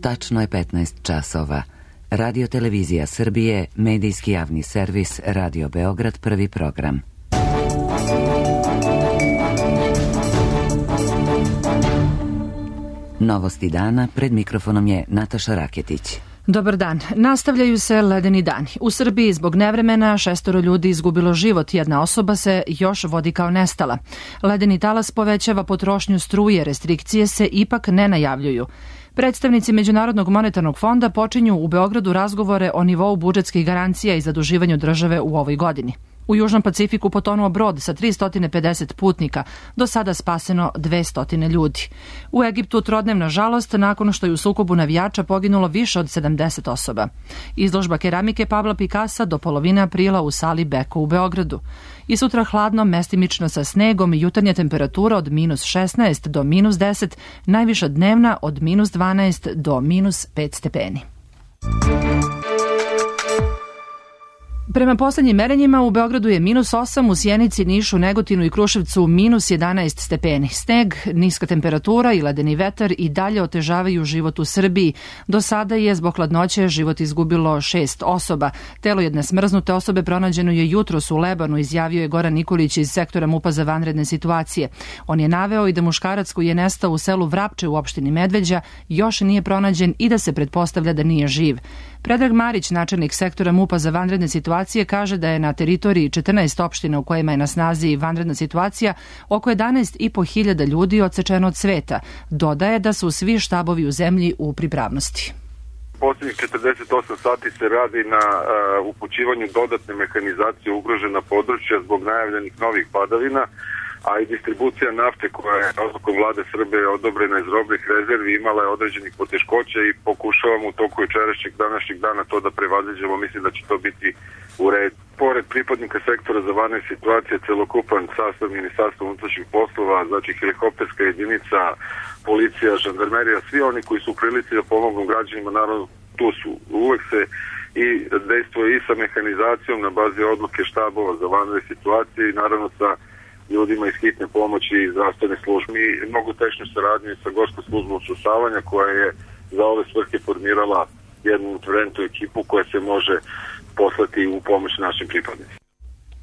Tačno je 15 časova. Radio Televizija Srbije, medijski javni servis Radio Beograd, prvi program. Novosti dana, pred mikrofonom je Nataša Raketić. Dobar dan. Nastavljaju se ledeni dani. U Srbiji zbog nevremena 6 ljudi izgubilo život, jedna osoba se još vodi kao nestala. Ledeni talas povećava potrošnju struje, restrikcije se ipak ne najavljuju. Predstavnici Međunarodnog monetarnog fonda počinju u Beogradu razgovore o nivou budžetskih garancija i zaduživanju države u ovoj godini. U Južnom Pacifiku potonuo brod sa 350 putnika, do sada spaseno 200 ljudi. U Egiptu trodnevna žalost nakon što je u sukobu navijača poginulo više od 70 osoba. Izložba keramike Pabla Pikasa do polovine aprila u sali Beko u Beogradu. I sutra hladno, mestimično sa snegom i jutarnja temperatura od -16 do -10, najviša dnevna od -12 do -5 stepeni. Prema poslednjim merenjima u Beogradu je -8, u Sjenici, Nišu, Negotinu i Kruševcu -11 stepeni. Sneg, niska temperatura i ledeni vetar i dalje otežavaju život u Srbiji. Do sada je zbog hladnoće život izgubilo 6 osoba. Telo jedne smrznute osobe pronađeno je jutros u Lebanu, izjavio je Goran Nikolić iz sektora MUP-a za vanredne situacije. On je naveo i da muškarac koji je nestao u selu Vrapče u opštini Medveđa još nije pronađen i da se pretpostavlja da nije živ. Predrag Marić, načelnik sektora MUP-a za vanredne situacije, kaže da je na teritoriji 14 opština u kojima je na snazi vanredna situacija oko 11.500 ljudi odsečeno od sveta. Dodaje da su svi štabovi u zemlji u pripravnosti. Posljednjih 48 sati se radi na upućivanju dodatne mehanizacije ugrožena područja zbog najavljenih novih padavina, a i distribucija nafte koja je odlukom vlade Srbije odobrena iz robnih rezervi imala je određenih poteškoća i pokušavamo u toku jučerašnjeg današnjeg dana to da prevaziđemo. Mislim da će to biti u redu. Pored pripadnika sektora za vanredne situacije, celokupan sastav Ministarstva unutrašnjih poslova, znači helikopterska jedinica, policija, žandarmerija, svi oni koji su u prilici da pomognu građanima, naravno tu su. Uvek se i dejstvuje i sa mehanizacijom na bazi odluke štabova za vanredne situacije i naravno sa ljudima iz hitne pomoći i zdravstvene službe. I mnogo tešnju saradnju sa Gorskom službom šusavanja koja je za ove svrhe formirala jednu interventnu ekipu koja se može poslati u pomoć našim pripadnicima.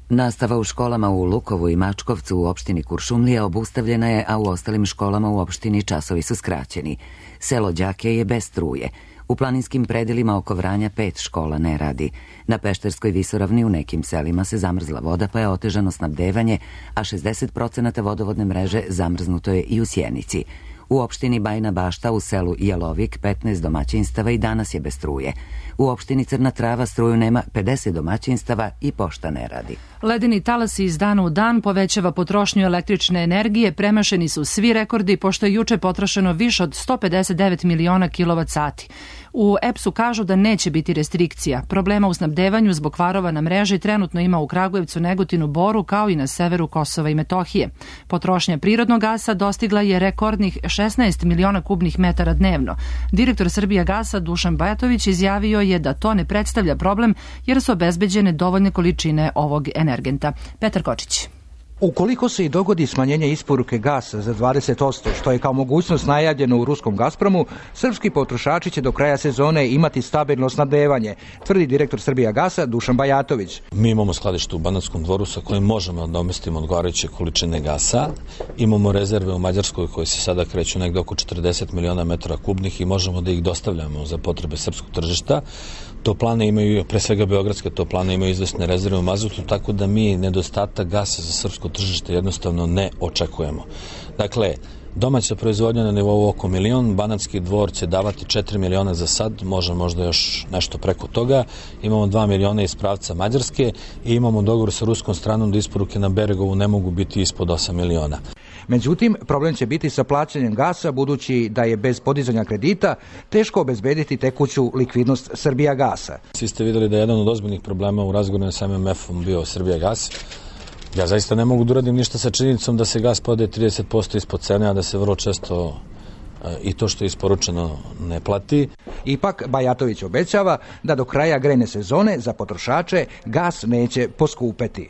Nastava u školama u Lukovu i Mačkovcu u opštini Kuršumlija obustavljena je, a u ostalim školama u opštini časovi su skraćeni. Selo Đake je bez struje. U planinskim predelima oko Vranja 5 škola ne radi. Na Pešterskoj visoravni u nekim selima se zamrzla voda pa je otežano snabdevanje, a 60% vodovodne mreže zamrznuto je i u Sjenici. U opštini Bajina Bašta u selu Jelovik 15 domaćinstava i danas je bez struje. U opštini Crna Trava struju nema 50 domaćinstava i pošta ne radi. Ledeni talasi iz dana u dan povećava potrošnju električne energije, premašeni su svi rekordi pošto je juče potrošeno više od 159 miliona kilovat-sati. U EPS-u kažu da neće biti restrikcija. Problema u snabdevanju zbog kvarova na mreži trenutno ima u Kragujevcu, Negotinu, Boru kao i na severu Kosova i Metohije. Potrošnja prirodnog gasa dostigla je rekordnih 16 miliona kubnih metara dnevno. Direktor Srbijagasa Dušan Bajatović izjavio je da to ne predstavlja problem jer su obezbeđene dovoljne količine ovog energenta. Petar Kočić. Ukoliko se i dogodi smanjenje isporuke gasa za 20%, što je kao mogućnost najavljeno u ruskom Gazpromu, srpski potrošači će do kraja sezone imati stabilno snabdevanje, tvrdi direktor Srbijagasa Dušan Bajatović. Mi imamo skladište u Banatskom Dvoru sa kojim možemo da domestimo odgovarajuće količine gasa. Imamo rezerve u Mađarskoj koje se sada kreću negde oko 40 miliona metara kubnih i možemo da ih dostavljamo za potrebe srpskog tržišta. Toplane imaju, pre svega beogradske toplane imaju izvesne rezerve u mazutu, tako da mi nedostatak gasa za srpsko tržište jednostavno ne očekujemo. Dakle, domaća proizvodnja na nivou oko 1 milion, Banatski Dvor će davati 4 miliona za sad, možda još nešto preko toga. Imamo 2 miliona iz pravca Mađarske i imamo dogovor sa ruskom stranom da isporuke na Beregovu ne mogu biti ispod 8 miliona. Međutim, problem će biti sa plaćanjem gasa, budući da je bez podizanja kredita teško obezbediti tekuću likvidnost Srbijagasa. Svi ste videli da je jedan od ozbiljnih problema u razgovoru sa MMF-om bio Srbijagas. Ja zaista ne mogu da uradim ništa sa činjenicom da se gas prodaje 30% ispod cene, a da se vrlo često i to što je isporučeno ne plati. Ipak, Bajatović obećava da do kraja grejne sezone za potrošače gas neće poskupeti.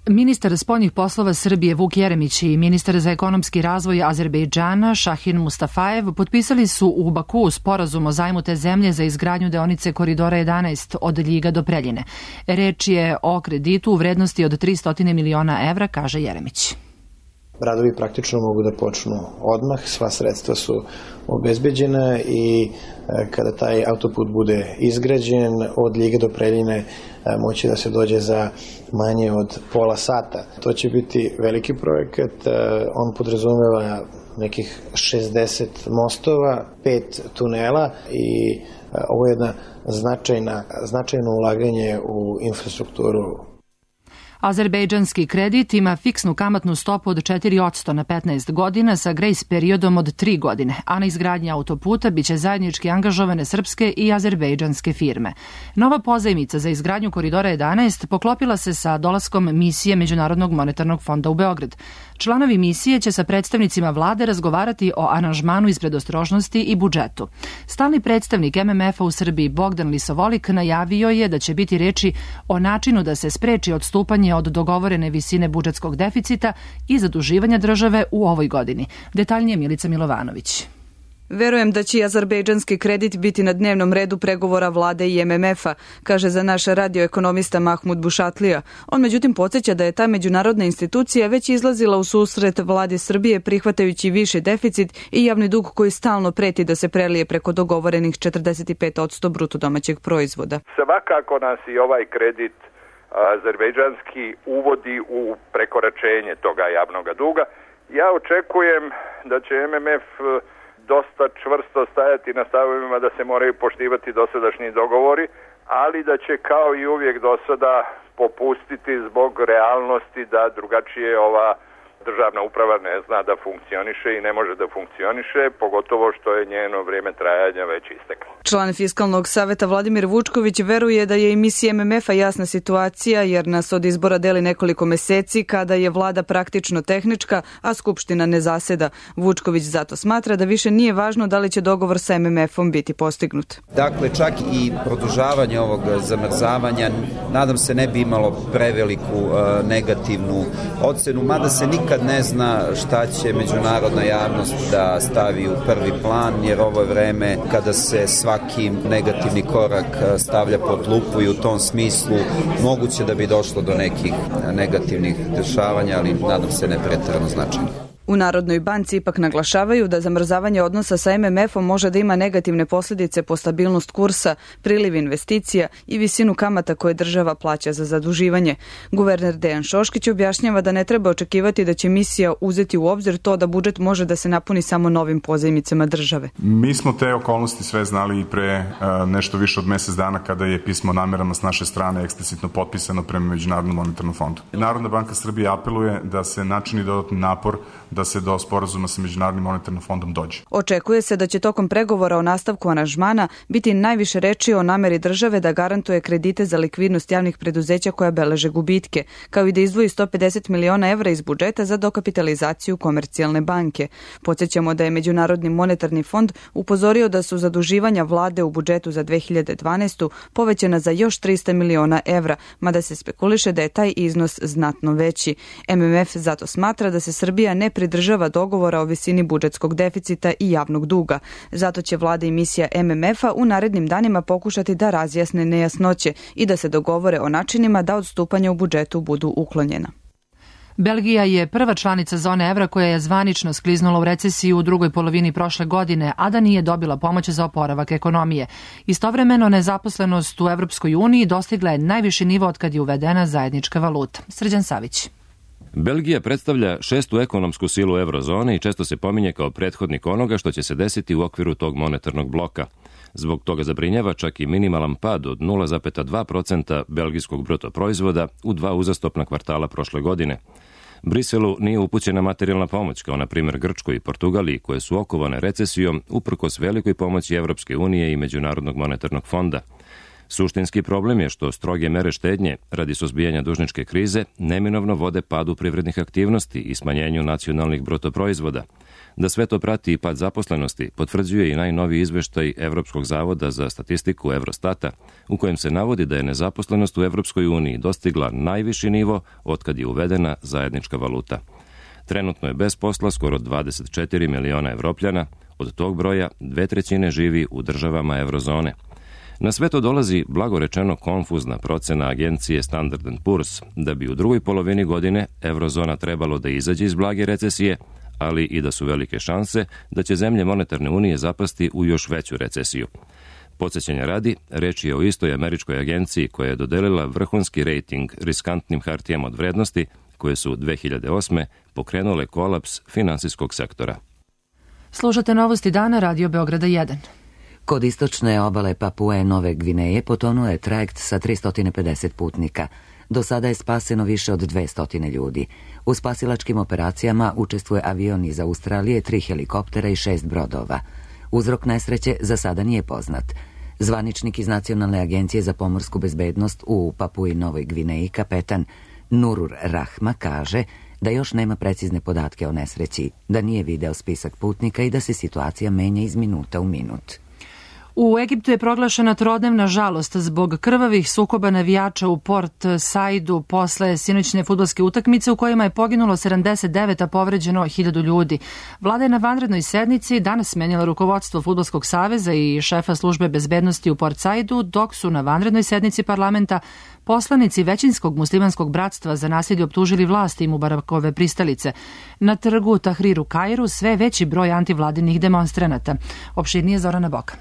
Ministar spoljnih poslova Srbije Vuk Jeremić i ministar za ekonomski razvoj Azerbejdžana Šahin Mustafajev potpisali su u Bakuu sporazum o zajmu te zemlje za izgradnju deonice Koridora 11 od Ljiga do Preljine. Reč je o kreditu u vrednosti od 300 miliona evra, kaže Jeremić. Radovi praktično mogu da počnu odmah, sva sredstva su obezbeđena i kada taj autoput bude izgrađen od Ljiga do Preljine moći da se dođe za manje od pola sata. To će biti veliki projekat, on podrazumeva nekih 60 mostova, 5 tunela i ovo je jedna značajno ulaganje u infrastrukturu. Azerbejdžanski kredit ima fiksnu kamatnu stopu od 4% na 15 godina sa grejs periodom od 3 godine, a na izgradnji autoputa biće zajednički angažovane srpske i azerbejdžanske firme. Nova pozajmica za izgradnju Koridora 11 poklopila se sa dolaskom misije Međunarodnog monetarnog fonda u Beograd. Članovi misije će sa predstavnicima vlade razgovarati o aranžmanu iz predostrožnosti i budžetu. Stalni predstavnik MMF-a u Srbiji Bogdan Lisovolik najavio je da će biti reči o načinu da se spreči odstupanje od dogovorene visine budžetskog deficita i zaduživanja države u ovoj godini. Detaljnije Milica Milovanović. Verujem da će i azerbejdžanski kredit biti na dnevnom redu pregovora vlade i MMF-a, kaže za naš radioekonomista Mahmud Bušatlija. On međutim podsjeća da je ta međunarodna institucija već izlazila u susret vladi Srbije prihvatajući viši deficit i javni dug koji stalno preti da se prelije preko dogovorenih 45% bruto domaćeg proizvoda. Svakako nas i ovaj kredit azerbejdžanski uvodi u prekoračenje toga javnog duga. Ja očekujem da će MMF dosta čvrsto stajati na stavovima da se moraju poštivati dosadašnji dogovori, ali da će kao i uvijek do sada popustiti zbog realnosti da drugačije ova državna uprava ne zna da funkcioniše i ne može da funkcioniše, pogotovo što je njeno vrijeme trajanja već isteklo. Član Fiskalnog saveta Vladimir Vučković veruje da je i misija MMF-a jasna situacija jer nas od izbora deli nekoliko meseci kada je vlada praktično tehnička, a Skupština ne zaseda. Vučković zato smatra da više nije važno da li će dogovor sa MMF-om biti postignut. Dakle, čak i produžavanje ovog zamrzavanja nadam se ne bi imalo preveliku negativnu ocenu, mada se nikad ne zna šta će međunarodna javnost da stavi u prvi plan, jer ovo je vreme kada se svaki negativni korak stavlja pod lupu i u tom smislu moguće da bi došlo do nekih negativnih dešavanja, ali nadam se ne pretjerano značajno. U Narodnoj banci ipak naglašavaju da zamrzavanje odnosa sa MMF-om može da ima negativne posljedice po stabilnost kursa, priliv investicija i visinu kamata koje država plaća za zaduživanje. Guverner Dejan Šoškić objašnjava da ne treba očekivati da će misija uzeti u obzir to da budžet može da se napuni samo novim pozajmicama države. Mi smo te okolnosti sve znali i pre nešto više od mjesec dana kada je pismo o namerama s naše strane eksplicitno potpisano prema Međunarodnom monetarnom fondu. Narodna banka Srbije apeluje da se načini dodatni napor da se do sporazuma sa Međunarodnim monetarnim fondom dođe. Očekuje se da će tokom pregovora o nastavku aranžmana biti najviše reči o nameri države da garantuje kredite za likvidnost javnih preduzeća koja beleže gubitke, kao i da izdvoji 150 miliona evra iz budžeta za dokapitalizaciju Komercijalne banke. Podsjećamo da je Međunarodni monetarni fond upozorio da su zaduživanja vlade u budžetu za 2012. povećana za još 300 miliona evra, mada se spekuliše da je taj iznos znatno veći. MMF zato smatra da se Srbija ne pridržava dogovora o visini budžetskog deficita i javnog duga. Zato će vlada i misija MMF-a u narednim danima pokušati da razjasne nejasnoće i da se dogovore o načinima da odstupanja u budžetu budu uklonjena. Belgija je prva članica zone evra koja je zvanično skliznula u recesiju u drugoj polovini prošle godine, a da nije dobila pomoć za oporavak ekonomije. Istovremeno, nezaposlenost u Evropskoj uniji dostigla je najviši nivo od kad je uvedena zajednička valuta. Srđan Savić. Belgija predstavlja šestu ekonomsku silu eurozone i često se pominje kao prethodnik onoga što će se desiti u okviru tog monetarnog bloka. Zbog toga zabrinjava čak i minimalan pad od 0,2% belgijskog bruto proizvoda u 2 uzastopna kvartala prošle godine. Briselu nije upućena materijalna pomoć, kao na primjer Grčkoj i Portugaliji, koje su okovane recesijom uprkos velikoj pomoći Evropske unije i Međunarodnog monetarnog fonda. Suštinski problem je što stroge mere štednje radi suzbijanja dužničke krize neminovno vode padu privrednih aktivnosti i smanjenju nacionalnih bruto proizvoda. Da sve to prati i pad zaposlenosti potvrđuje i najnoviji izveštaj Evropskog zavoda za statistiku Eurostata, u kojem se navodi da je nezaposlenost u Evropskoj uniji dostigla najviši nivo otkad je uvedena zajednička valuta. Trenutno je bez posla skoro 24 miliona Evropljana, od tog broja 2/3 živi u državama eurozone. Na sve to dolazi, blago rečeno, konfuzna procena agencije Standard & Poor's da bi u drugoj polovini godine eurozona trebalo da izađe iz blage recesije, ali i da su velike šanse da će zemlje monetarne unije zapasti u još veću recesiju. Podsjećanja radi, reč je o istoj američkoj agenciji koja je dodelila vrhunski rejting riskantnim hartijama od vrednosti koje su 2008. pokrenule kolaps finansijskog sektora. Slušate novosti dana Radio Beograda 1. Kod istočne obale Papue Nove Gvineje potonuo je trajekt sa 350 putnika. Do sada je spaseno više od 200 ljudi. U spasilačkim operacijama učestvuje avion iz Australije, 3 helikoptera i 6 brodova. Uzrok nesreće za sada nije poznat. Zvaničnik iz Nacionalne agencije za pomorsku bezbednost u Papui Novoj Gvineji, kapetan Nurur Rahma, kaže da još nema precizne podatke o nesreći, da nije video spisak putnika i da se situacija menja iz minuta u minut. U Egiptu je proglašena trodnevna žalost zbog krvavih sukoba navijača u Port Saidu posle sinoćne fudbalske utakmice u kojima je poginulo 79, a povređeno 1000 ljudi. Vlada je na vanrednoj sednici danas smenila rukovodstvo Fudbalskog saveza i šefa službe bezbednosti u Port Saidu, dok su na vanrednoj sednici parlamenta poslanici većinskog muslimanskog bratstva za nasilje optužili vlasti Mubarakove pristalice. Na trgu Tahrir u Kairu sve veći broj antivladinih demonstranata. Opširnije Zorana Bokan.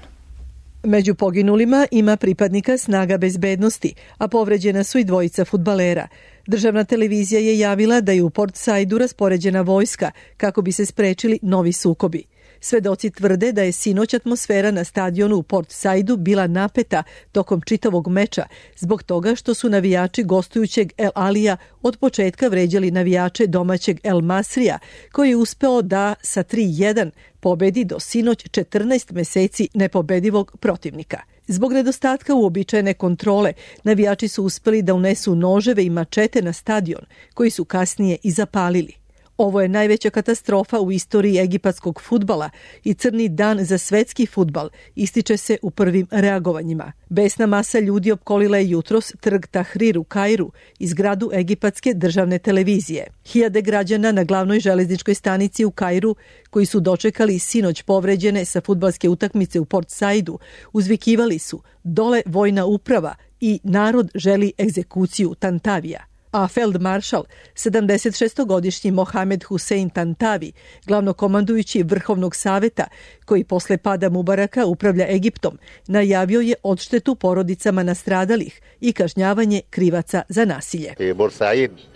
Među poginulima ima pripadnika snaga bezbednosti, a povređena su i dvojica fudbalera. Državna televizija je javila da je u Port Saidu raspoređena vojska kako bi se sprečili novi sukobi. Svedoci tvrde da je sinoć atmosfera na stadionu u Port Saidu bila napeta tokom čitavog meča zbog toga što su navijači gostujućeg El Alija od početka vređali navijače domaćeg El Masrija, koji je uspeo da sa 3-1 pobedi do sinoć 14 meseci nepobedivog protivnika. Zbog nedostatka uobičajene kontrole, navijači su uspeli da unesu noževe i mačete na stadion, koji su kasnije i zapalili. Ovo je najveća katastrofa u istoriji egipatskog fudbala i crni dan za svetski fudbal, ističe se u prvim reagovanjima. Besna masa ljudi opkolila je jutros trg Tahrir u Kairu i zgradu egipatske državne televizije. Hiljade građana na glavnoj železničkoj stanici u Kairu, koji su dočekali sinoć povređene sa fudbalske utakmice u Port Saidu, uzvikivali su "Dole vojna uprava" i "Narod želi egzekuciju Tantavija". A feldmaršal, 76-godišnji Mohamed Hussein Tantavi, glavnokomandujući Vrhovnog saveta, koji posle pada Mubaraka upravlja Egiptom, najavio je odštetu porodicama nastradalih i kažnjavanje krivaca za nasilje.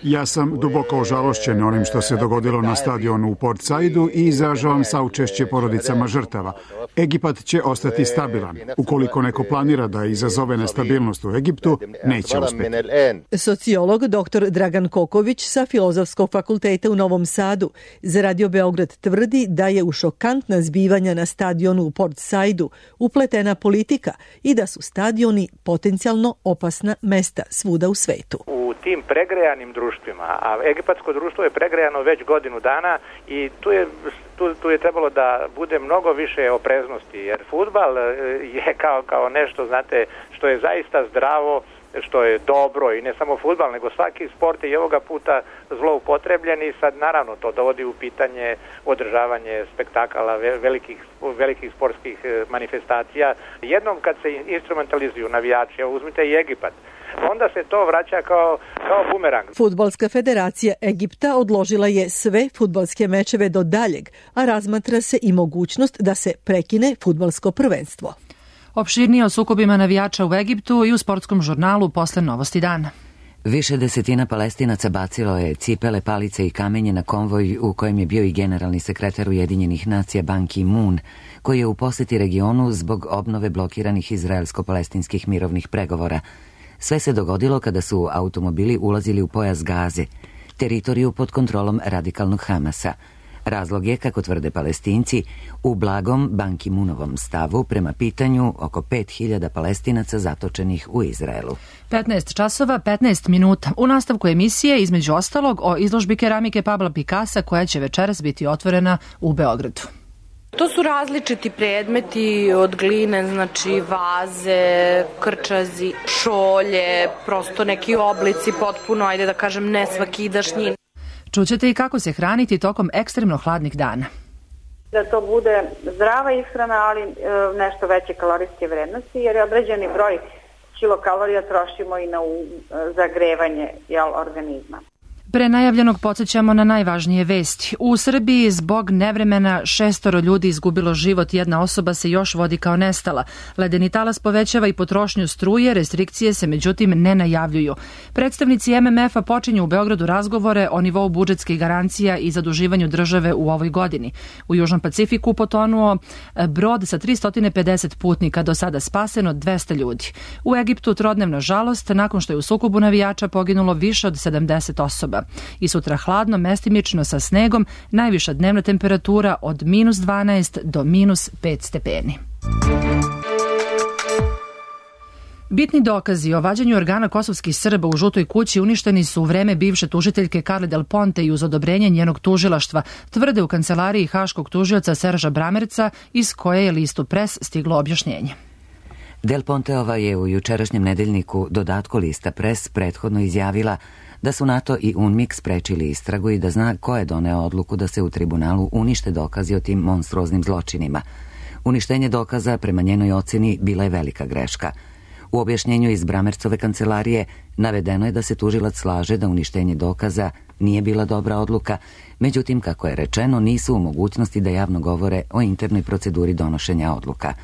Ja sam duboko ožalošćen onim što se dogodilo na stadionu u Port Saidu i izražavam saučešće porodicama žrtava. Egipat će ostati stabilan. Ukoliko neko planira da izazove nestabilnost u Egiptu, neće uspjeti. Sociolog dr. Dragan Koković sa Filozofskog fakulteta u Novom Sadu za Radio Beograd tvrdi da je u šokantna zbivanja na stadionu u Port Saidu upletena politika i da su stadioni potencijalno opasna mesta svuda u svetu. U tim pregrejanim društvima, a egipatsko društvo je pregrejano već godinu dana i tu je trebalo da bude mnogo više opreznosti, jer fudbal je kao nešto, znate, što je zaista zdravo, što je dobro, i ne samo fudbal, nego svaki sport je i ovoga puta zloupotrebljen i sad naravno to dovodi u pitanje održavanje spektakala, velikih sportskih manifestacija. Jednom kad se instrumentalizuju navijači, evo uzmite i Egipat, onda se to vraća kao bumerang. Fudbalska federacija Egipta odložila je sve fudbalske mečeve do daljeg, a razmatra se i mogućnost da se prekine fudbalsko prvenstvo. Opširnije o sukobima navijača u Egiptu i u sportskom žurnalu posle novosti dana. Više desetina Palestinaca bacilo je cipele, palice i kamenje na konvoj u kojem je bio i generalni sekretar Ujedinjenih nacija Ban Ki-moon, koji je u poseti regionu zbog obnove blokiranih izraelsko-palestinskih mirovnih pregovora. Sve se dogodilo kada su automobili ulazili u pojas Gaze, teritoriju pod kontrolom radikalnog Hamasa. Razlog je, kako tvrde Palestinci, u blagom Ban Ki-moonovom stavu prema pitanju oko 5000 Palestinaca zatočenih u Izraelu. 15 časova, 15 minuta. U nastavku emisije, između ostalog, o izložbi keramike Pabla Picassa koja će večeras biti otvorena u Beogradu. To su različiti predmeti od gline, znači vaze, krčazi, šolje, prosto neki oblici potpuno, ajde da kažem, nesvakidašnji. Čućete i kako se hraniti tokom ekstremno hladnih dana. Da to bude zdrava ishrana, ali nešto veće kalorijske vrednosti, jer je određeni broj kilokalorija trošimo i na zagrevanje organizma. Pre najavljenog podsjećamo na najvažnije vesti. U Srbiji zbog nevremena 6 ljudi izgubilo život, jedna osoba se još vodi kao nestala. Ledeni talas povećava i potrošnju struje, restrikcije se međutim ne najavljuju. Predstavnici MMF-a počinju u Beogradu razgovore o nivou budžetskih garancija i zaduživanju države u ovoj godini. U Južnom Pacifiku potonuo brod sa 350 putnika, do sada spaseno 200 ljudi. U Egiptu trodnevna žalost nakon što je u sukobu navijača poginulo više od 70 osoba. I sutra hladno, mestimično sa snegom, najviša dnevna temperatura od -12 do -5 stepeni. Bitni dokazi o vađenju organa kosovskih Srba u Žutoj kući uništeni su u vreme bivše tužiteljke Carle Del Ponte i uz odobrenje njenog tužilaštva, tvrde u kancelariji haškog tužioca Serža Bramerca, iz koje je listu Pres stiglo objašnjenje. Del Ponteova je u jučerašnjem nedeljniku dodatku lista Pres prethodno izjavila da su NATO i UNMIK sprečili istragu i da zna ko je doneo odluku da se u tribunalu unište dokazi o tim monstruoznim zločinima. Uništenje dokaza, prema njenoj oceni, bila je velika greška. U objašnjenju iz Bramercove kancelarije navedeno je da se tužilac slaže da uništenje dokaza nije bila dobra odluka, međutim, kako je rečeno, nisu u mogućnosti da javno govore o internoj proceduri donošenja odluka.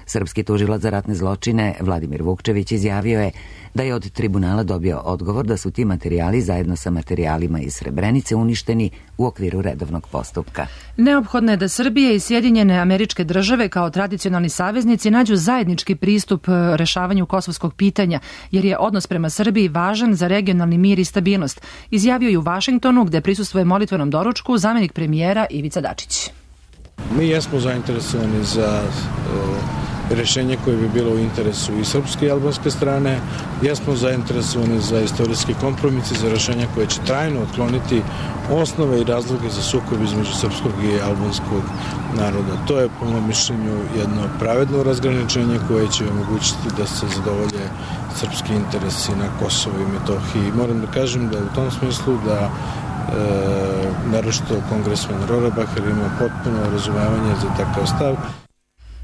Srpski tužilac za ratne zločine Vladimir Vukčević izjavio je da je od tribunala dobio odgovor da su ti materijali zajedno sa materijalima iz Srebrenice uništeni u okviru redovnog postupka. Neophodno je da Srbija i Sjedinjene Američke Države kao tradicionalni saveznici nađu zajednički pristup rešavanju kosovskog pitanja, jer je odnos prema Srbiji važan za regionalni mir i stabilnost, izjavio je u Vašingtonu, gde prisustvuje molitvenom doručku zamenik premijera Ivica Dačić. Mi jesmo zainteresovani za rešenje koje bi bilo u interesu i srpske i albanske strane. Jesmo zainteresovani za istorijski kompromis i za rešenja koje će trajno otkloniti osnove i razloge za sukob između srpskog i albanskog naroda. To je, po mom mišljenju, jedno pravedno razgraničenje koje će omogućiti da se zadovolje srpski interesi na Kosovu i Metohiji. Moram da kažem da u tom smislu da naročito kongresmen Rohrabacher ima potpuno razumevanje za takav stav.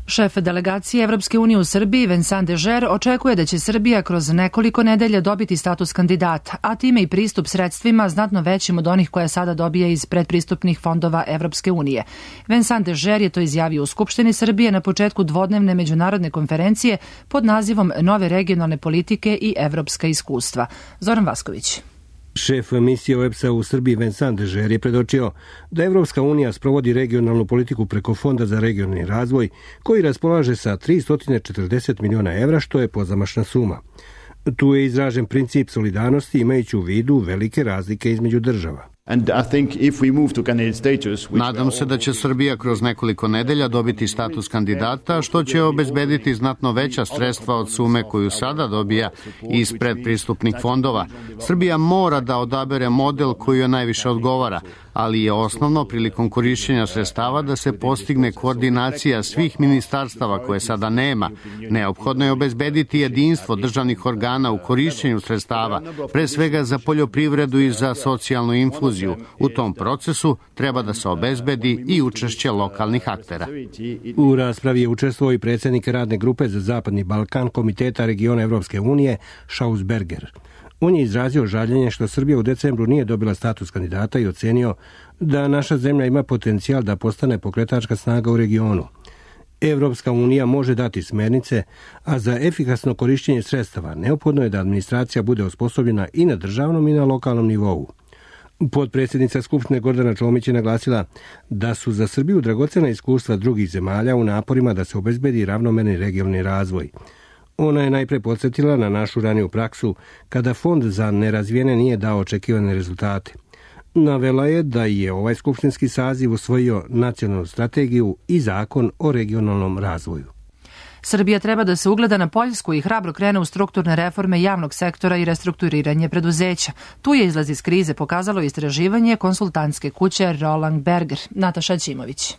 Šef delegacije Evropske unije u Srbiji, Vincent Dežer, očekuje da će Srbija kroz nekoliko nedelja dobiti status kandidata, a time i pristup sredstvima znatno većim od onih koje sada dobija iz predpristupnih fondova Evropske unije. Vincent Dežer je to izjavio u Skupštini Srbije na početku dvodnevne međunarodne konferencije pod nazivom Nove regionalne politike i evropska iskustva. Zoran Vasković. Šef misije OEBS-a u Srbiji Vincent Dežer je predočio da Evropska unija sprovodi regionalnu politiku preko Fonda za regionalni razvoj koji raspolaže sa 340 miliona evra, što je pozamašna suma. Tu je izražen princip solidarnosti imajući u vidu velike razlike između država. Nadam se da će Srbija kroz nekoliko nedelja dobiti status kandidata, što će obezbediti znatno veća sredstva od sume koju sada dobija iz predpristupnih fondova. Srbija mora da odabere model koji joj najviše odgovara, ali je osnovno prilikom korišćenja sredstava da se postigne koordinacija svih ministarstava koje sada nema. Neophodno je obezbediti jedinstvo državnih organa u korišćenju sredstava, pre svega za poljoprivredu i za socijalnu infuziju. U tom procesu treba da se obezbedi i učešće lokalnih aktera. U raspravi je učestvovao i predsjednik radne grupe za Zapadni Balkan Komiteta regiona Evropske unije Schausberger. On je izrazio žaljenje što Srbija u decembru nije dobila status kandidata i ocenio da naša zemlja ima potencijal da postane pokretačka snaga u regionu. Evropska unija može dati smernice, a za efikasno korišćenje sredstava neophodno je da administracija bude osposobljena i na državnom i na lokalnom nivou. Potpredsjednica Skupštine Gordana Čomić je naglasila da su za Srbiju dragocena iskustva drugih zemalja u naporima da se obezbedi ravnomerni regionalni razvoj. Ona je najpre podsjetila na našu raniju praksu kada Fond za nerazvijene nije dao očekivane rezultate. Navela je da je ovaj skupštinski saziv usvojio nacionalnu strategiju i zakon o regionalnom razvoju. Srbija treba da se ugleda na Poljsku i hrabro krene u strukturne reforme javnog sektora i restrukturiranje preduzeća. Tu je izlaz iz krize pokazalo istraživanje konsultantske kuće Roland Berger. Nataša Ćimović.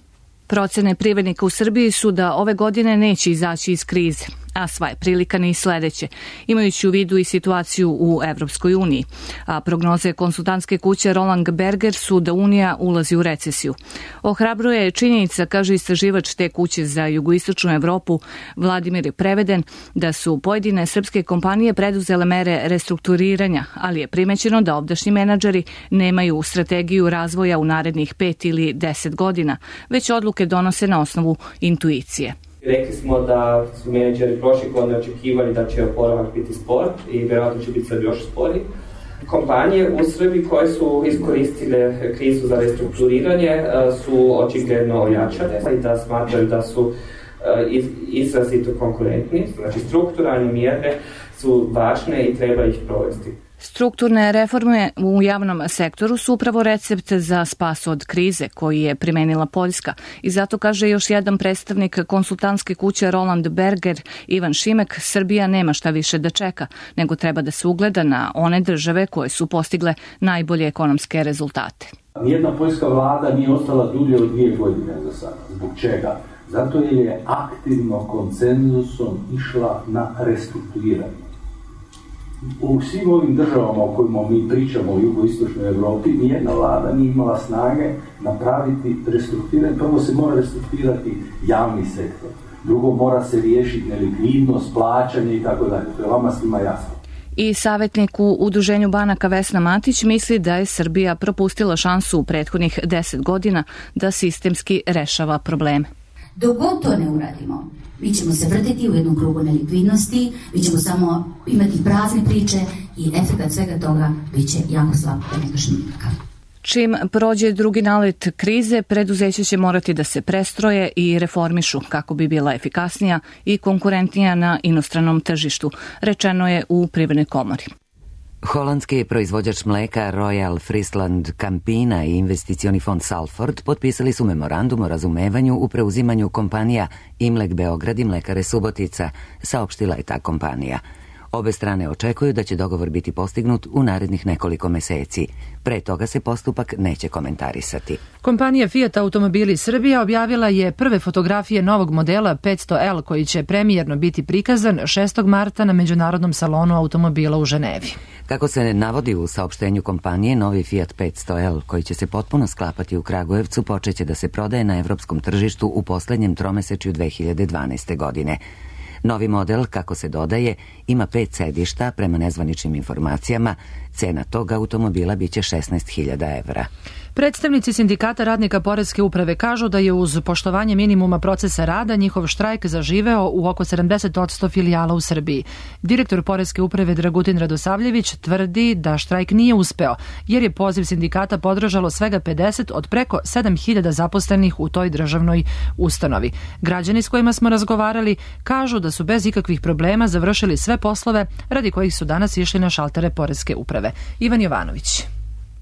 Procene privrednika u Srbiji su da ove godine neće izaći iz krize, a sva je prilika ni sledeće, imajući u vidu i situaciju u Evropskoj uniji. A prognoze konsultantske kuće Roland Berger su da Unija ulazi u recesiju. Ohrabruje je činjenica, kaže istraživač te kuće za jugoistočnu Evropu Vladimir Preveden, da su pojedine srpske kompanije preduzele mere restrukturiranja, ali je primećeno da ovdašnji menadžeri nemaju strategiju razvoja u narednih 5 ili 10 godina, već odluke donose na osnovu intuicije. Rekli smo da su menadžeri prošle godine očekivali da će oporavak biti spor i vjerojatno će biti sad još sporiji. Kompanije u Srbiji koje su iskoristile krizu za restrukturiranje su očigledno ojačane i da smatraju da su izrazito konkurentni. Znači strukturalne mjere su važne i treba ih provesti. Strukturne reforme u javnom sektoru su upravo recept za spas od krize koji je primenila Poljska i zato, kaže još jedan predstavnik konsultantske kuće Roland Berger, Ivan Šimek, Srbija nema šta više da čeka, nego treba da se ugleda na one države koje su postigle najbolje ekonomske rezultate. Nijedna poljska vlada nije ostala dulje od 2 godine za sada. Zbog čega? Zato jer je aktivno konsenzusom išla na restrukturiranje. U svim ovim državama o kojima mi pričamo u jugoistočnoj Evropi, nijedna vlada nije imala snage napraviti restrukturiranje. Prvo se mora restrukturirati javni sektor, drugo mora se riješiti nelikvidnost, plaćanje i tako dalje. To je vama svima jasno. I savjetnik u Udruženju banaka Vesna Matić misli da je Srbija propustila šansu u prethodnih 10 godina da sistemski rešava probleme. Dok god to ne uradimo, mi ćemo se vrtiti u jednom krugu nelikvidnosti, mi ćemo samo imati prazne priče i efekt svega toga bit će jako slab, da ne kažem nikakav. Čim prođe drugi nalet krize, preduzeća će morati da se prestroje i reformišu kako bi bila efikasnija i konkurentnija na inostranom tržištu, rečeno je u Privrednoj komori. Holandski proizvođač mleka Royal Friesland Campina i investicioni fond Salford potpisali su memorandum o razumevanju u preuzimanju kompanija Imlek Beograd i Mlekare Subotica, saopštila je ta kompanija. Obe strane očekuju da će dogovor biti postignut u narednih nekoliko meseci. Pre toga se postupak neće komentarisati. Kompanija Fiat Automobili Srbija objavila je prve fotografije novog modela 500L koji će premijerno biti prikazan 6. marta na Međunarodnom salonu automobila u Ženevi. Kako se navodi u saopštenju kompanije, novi Fiat 500L koji će se potpuno sklapati u Kragujevcu počeće da se prodaje na evropskom tržištu u poslednjem tromesečju 2012. godine. Novi model, kako se dodaje, ima 5 sedišta, prema nezvaničnim informacijama. Cena tog automobila biće 16.000 evra. Predstavnici sindikata radnika Poreske uprave kažu da je uz poštovanje minimuma procesa rada njihov štrajk zaživeo u oko 70% filijala u Srbiji. Direktor Poreske uprave Dragutin Radosavljević tvrdi da štrajk nije uspeo, jer je poziv sindikata podržalo svega 50 od preko 7.000 zaposlenih u toj državnoj ustanovi. Građani s kojima smo razgovarali kažu da su bez ikakvih problema završili sve poslove radi kojih su danas išli na šaltere Poreske uprave. Ivan Jovanović.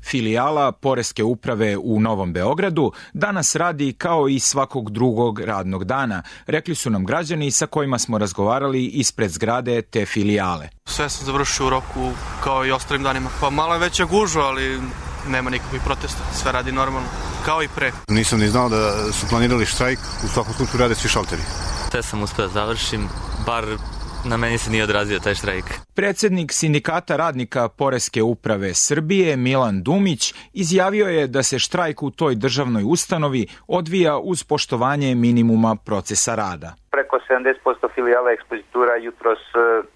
Filijala Poreske uprave u Novom Beogradu danas radi kao i svakog drugog radnog dana, rekli su nam građani sa kojima smo razgovarali ispred zgrade te filijale. Sve sam završio u roku kao i ostalim danima. Pa malo je veća gužva, ali nema nikakvih protesta, sve radi normalno, kao i pre. Nisam ni znao da su planirali štrajk, u svakom slučaju rade svi šalteri. Sve sam uspeo da završim, bar na meni se nije odrazio taj štrajk. Predsednik sindikata radnika Poreske uprave Srbije Milan Dumić izjavio je da se štrajk u toj državnoj ustanovi odvija uz poštovanje minimuma procesa rada. Preko 70% filijala ekspozitura jutros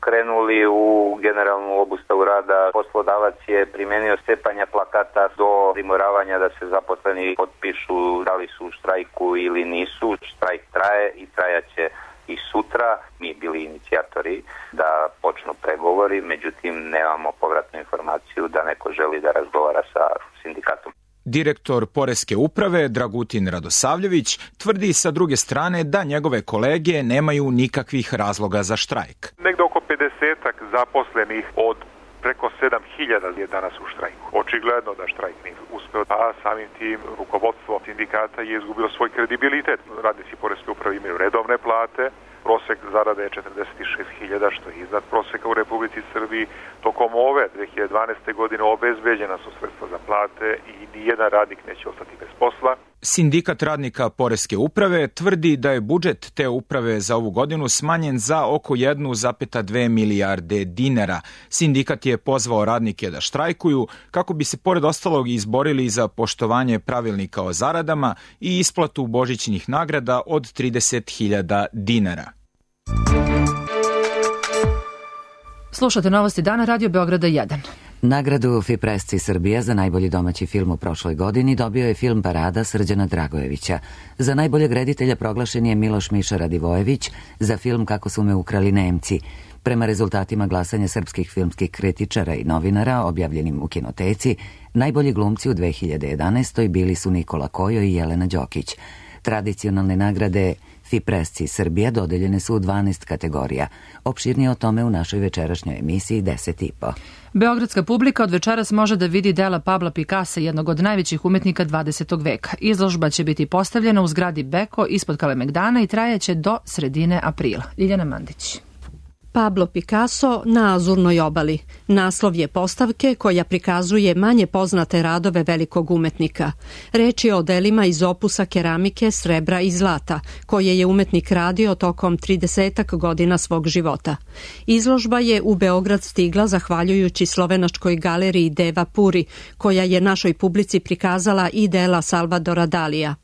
krenuli u generalnu obustavu rada. Poslodavac je primenio stepanja plakata do primoravanja da se zaposleni potpišu da li su u štrajku ili nisu. Štrajk traje i trajaće i sutra. Mi bili inicijatori da počnu pregovori, međutim nemamo povratnu informaciju da neko želi da razgovara sa sindikatom. Direktor Poreske uprave Dragutin Radosavljević tvrdi sa druge strane da njegove kolege nemaju nikakvih razloga za štrajk. Negde oko 50-ak zaposlenih od Preko 7.000 je danas u štrajku. Očigledno da štrajk nije uspeo, a samim tim rukovodstvo sindikata je izgubilo svoj kredibilitet. Radnici poreske uprave imaju redovne plate, prosek zarade je 46.000, što je iznad proseka u Republici Srbiji. Tokom ove 2012. godine obezbeđena su sredstva za plate i nijedan radnik neće ostati bez posla. Sindikat radnika poreske uprave tvrdi da je budžet te uprave za ovu godinu smanjen za oko 1,2 milijarde dinara. Sindikat je pozvao radnike da štrajkuju kako bi se pored ostalog izborili za poštovanje pravilnika o zaradama i isplatu božićnih nagrada od 30.000 dinara. Slušate novosti dana, Radio Beograda 1. Nagradu FIPRESCI Srbija za najbolji domaći film u prošloj godini dobio je film Parada Srđana Dragojevića. Za najboljeg reditelja proglašen je Miloš Miša Radivojević za film Kako su me ukrali Nemci. Prema rezultatima glasanja srpskih filmskih kritičara i novinara objavljenim u Kinoteci, najbolji glumci u 2011. bili su Nikola Kojo i Jelena Đokić. Tradicionalne nagrade FIPRESCI Srbija dodeljene su u 12 kategorija. Opširnije o tome u našoj večerašnjoj emisiji 10.5. Beogradska publika od večeras može da vidi dela Pabla Picassa, jednog od najvećih umetnika 20. veka. Izložba će biti postavljena u zgradi Beko ispod Kalemegdana i trajaće do sredine aprila. Ljiljana Mandić. Pablo Picasso na Azurnoj obali. Naslov je postavke koja prikazuje manje poznate radove velikog umetnika. Reč je o delima iz opusa keramike, srebra i zlata, koje je umetnik radio tokom 30 godina svog života. Izložba je u Beograd stigla zahvaljujući slovenačkoj galeriji Deva Puri, koja je našoj publici prikazala i dela Salvadora Dalija.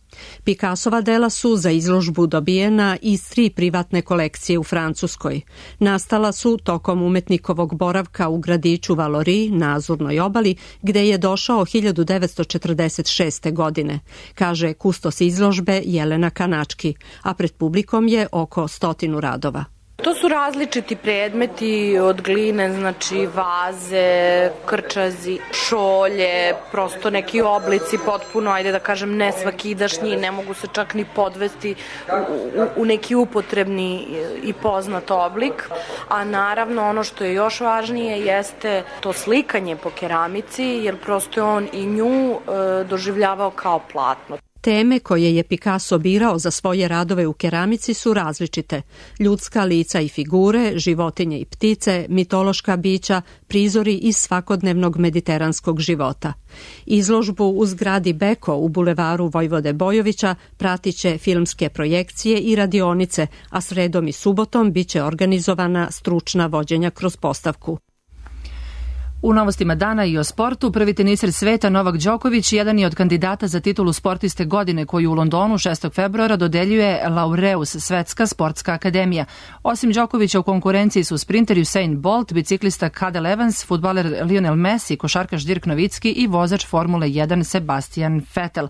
Picassova dela su za izložbu dobijena iz 3 privatne kolekcije u Francuskoj. Nastala su tokom umetnikovog boravka u gradiću Valoris na Azurnoj obali, gde je došao 1946. godine, kaže kustos izložbe Jelena Kanački, a pred publikom je oko 100 radova. To su različiti predmeti od gline, znači vaze, krčazi, šolje, prosto neki oblici potpuno, ajde da kažem, nesvakidašnji, ne mogu se čak ni podvesti u neki upotrebni i poznat oblik. A naravno ono što je još važnije jeste to slikanje po keramici, jer prosto je on i nju doživljavao kao platno. Teme koje je Picasso birao za svoje radove u keramici su različite. Ljudska lica i figure, životinje i ptice, mitološka bića, prizori iz svakodnevnog mediteranskog života. Izložbu u zgradi Beko u bulevaru Vojvode Bojovića pratiće filmske projekcije i radionice, a sredom i subotom biće organizovana stručna vođenja kroz postavku. U novostima dana i o sportu, prvi teniser sveta Novak Đoković jedan je od kandidata za titulu sportiste godine koju u Londonu 6. februara dodeljuje Laureus, Svetska sportska akademija. Osim Đokovića u konkurenciji su sprinter Usain Bolt, biciklista Cadel Evans, fudbaler Lionel Messi, košarkaš Dirk Novicki i vozač Formule 1 Sebastian Vettel.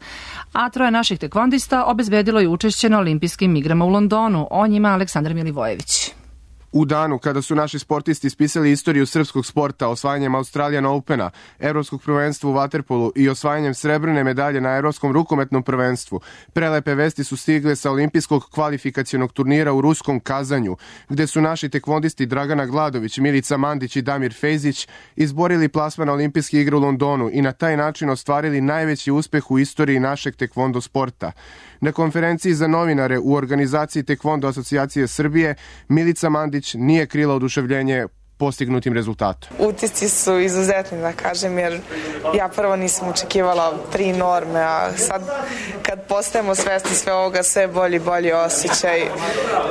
A 3 naših tekvondista obezbedilo je učešće na olimpijskim igrama u Londonu. O njima Aleksandar Milivojević. U danu kada su naši sportisti ispisali istoriju srpskog sporta osvajanjem Australian Opena, Evropskog prvenstva u vaterpolu i osvajanjem srebrne medalje na Evropskom rukometnom prvenstvu, prelepe vesti su stigle sa olimpijskog kvalifikacionog turnira u ruskom Kazanju, gde su naši tekvondisti Dragana Gladović, Milica Mandić i Damir Fejzić izborili plasman na olimpijske igre u Londonu i na taj način ostvarili najveći uspeh u istoriji našeg tekvondo sporta. Na konferenciji za novinare u organizaciji Tekvondo asocijacije Srbije, Milica Mandić nije krila oduševljenje postignutim rezultatom. Utisci su izuzetni, da kažem, jer ja prvo nisam očekivala 3 norme, a sad kad postajemo svesni sve ovoga, sve bolji osjećaj.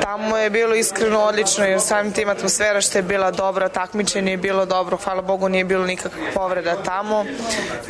Tamo je bilo iskreno odlično, jer samim tim atmosfera što je bila dobra, takmičenje je bilo dobro, hvala Bogu nije bilo nikakvih povreda tamo.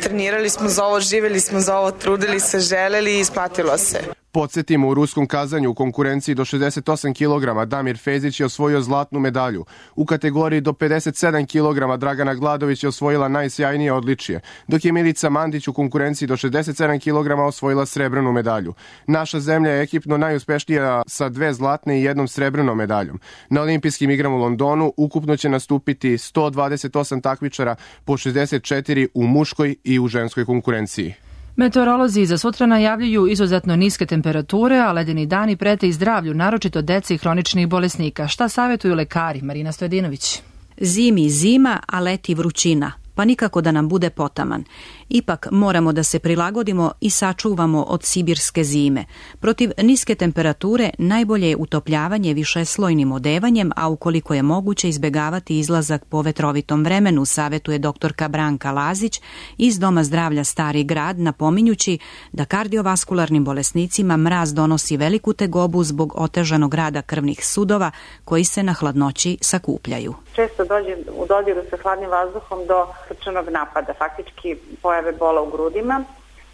Trenirali smo za ovo, živjeli smo za ovo, trudili se, želeli i isplatilo se. Podsjetimo, u ruskom Kazanju u konkurenciji do 68 kg Damir Fejzić je osvojio zlatnu medalju. U kategoriji do 57 kg Dragana Gladović je osvojila najsjajnije odličje, dok je Milica Mandić u konkurenciji do 67 kg osvojila srebrnu medalju. Naša zemlja je ekipno najuspešnija sa 2 zlatne i 1 srebrnom medaljom. Na olimpijskim igrama u Londonu ukupno će nastupiti 128 takmičara po 64 u muškoj i u ženskoj konkurenciji. Meteorolozi za sutra najavljuju izuzetno niske temperature, a ledeni dani prete i zdravlju, naročito dece i hroničnih bolesnika. Šta savjetuju lekari? Marina Stojedinović. Zimi zima, a leti vrućina, pa nikako da nam bude potaman. Ipak moramo da se prilagodimo i sačuvamo od sibirske zime. Protiv niske temperature najbolje je utopljavanje višeslojnim odevanjem, a ukoliko je moguće izbegavati izlazak po vetrovitom vremenu, savetuje doktorka Branka Lazić iz Doma zdravlja Stari grad, napominjući da kardiovaskularnim bolesnicima mraz donosi veliku tegobu zbog otežanog rada krvnih sudova koji se na hladnoći sakupljaju. Često dođe u dodiru sa hladnim vazduhom do srčanog napada, faktički pojave bola u grudima.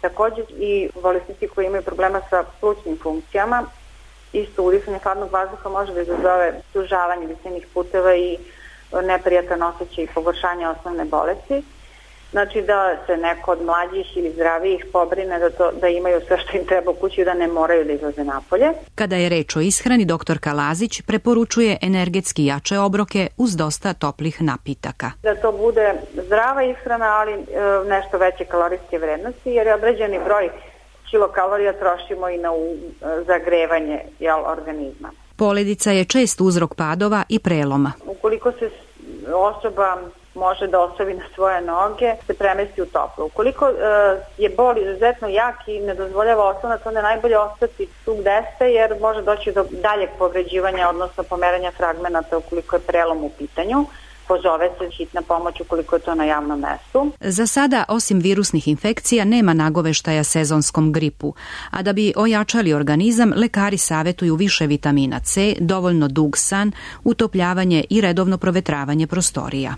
Također i bolesnici koji imaju problema sa plućnim funkcijama, isto udisanje hladnog vazduha može da izazove sužavanje disajnih puteva i neprijatan osjećaj i pogoršanje osnovne bolesti. Znači da se neko od mlađih ili zdravijih pobrine da imaju sve što im treba u kući i da ne moraju da izlaze napolje. Kada je reč o ishrani, doktorka Lazić preporučuje energetski jače obroke uz dosta toplih napitaka. Da to bude zdrava ishrana, ali nešto veće kalorijske vrednosti, jer je određeni broj kilokalorija trošimo i na zagrevanje organizma. Poledica je čest uzrok padova i preloma. Ukoliko se osoba može da ostavi na svoje noge, se premesti u toplo. Ukoliko je bol izuzetno jak i ne dozvoljava oslonac, onda je najbolje ostati tu gde ste, jer može doći do daljeg povređivanja, odnosno pomeranja fragmenata ukoliko je prelom u pitanju. Pozove se hitna pomoć ukoliko je to na javnom mestu. Za sada, osim virusnih infekcija, nema nagoveštaja sezonskom gripu, a da bi ojačali organizam, lekari savetuju više vitamina C, dovoljno dug san, utopljavanje i redovno provetravanje prostorija.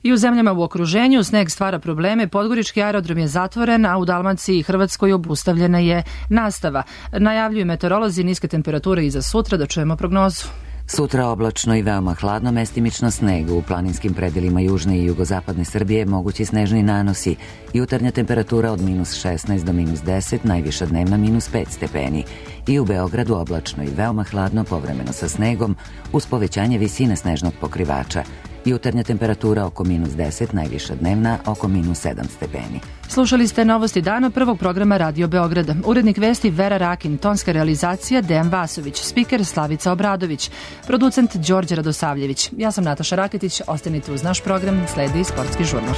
I u zemljama u okruženju sneg stvara probleme, Podgorički aerodrom je zatvoren, a u Dalmaciji i Hrvatskoj obustavljena je nastava. Najavljuju meteorolozi niske temperature i za sutra, da čujemo prognozu. Sutra oblačno i veoma hladno, mestimično sneg. U planinskim predelima južne i jugozapadne Srbije mogući snežni nanosi. Jutarnja temperatura od -16 do -10, najviša dnevna -5 stepeni. I u Beogradu oblačno i veoma hladno, povremeno sa snegom, uz povećanje visine snežnog pokrivača. Jutarnja temperatura oko -10, najviša dnevna oko -7 stepeni. Slušali ste novosti dana prvog programa Radio Beograda. Urednik vesti Vera Rakin, tonska realizacija Dejan Vasović, spiker Slavica Obradović, producent Đorđe Radosavljević. Ja sam Nataša Raketić, ostanite uz naš program, sledi Sportski žurnal.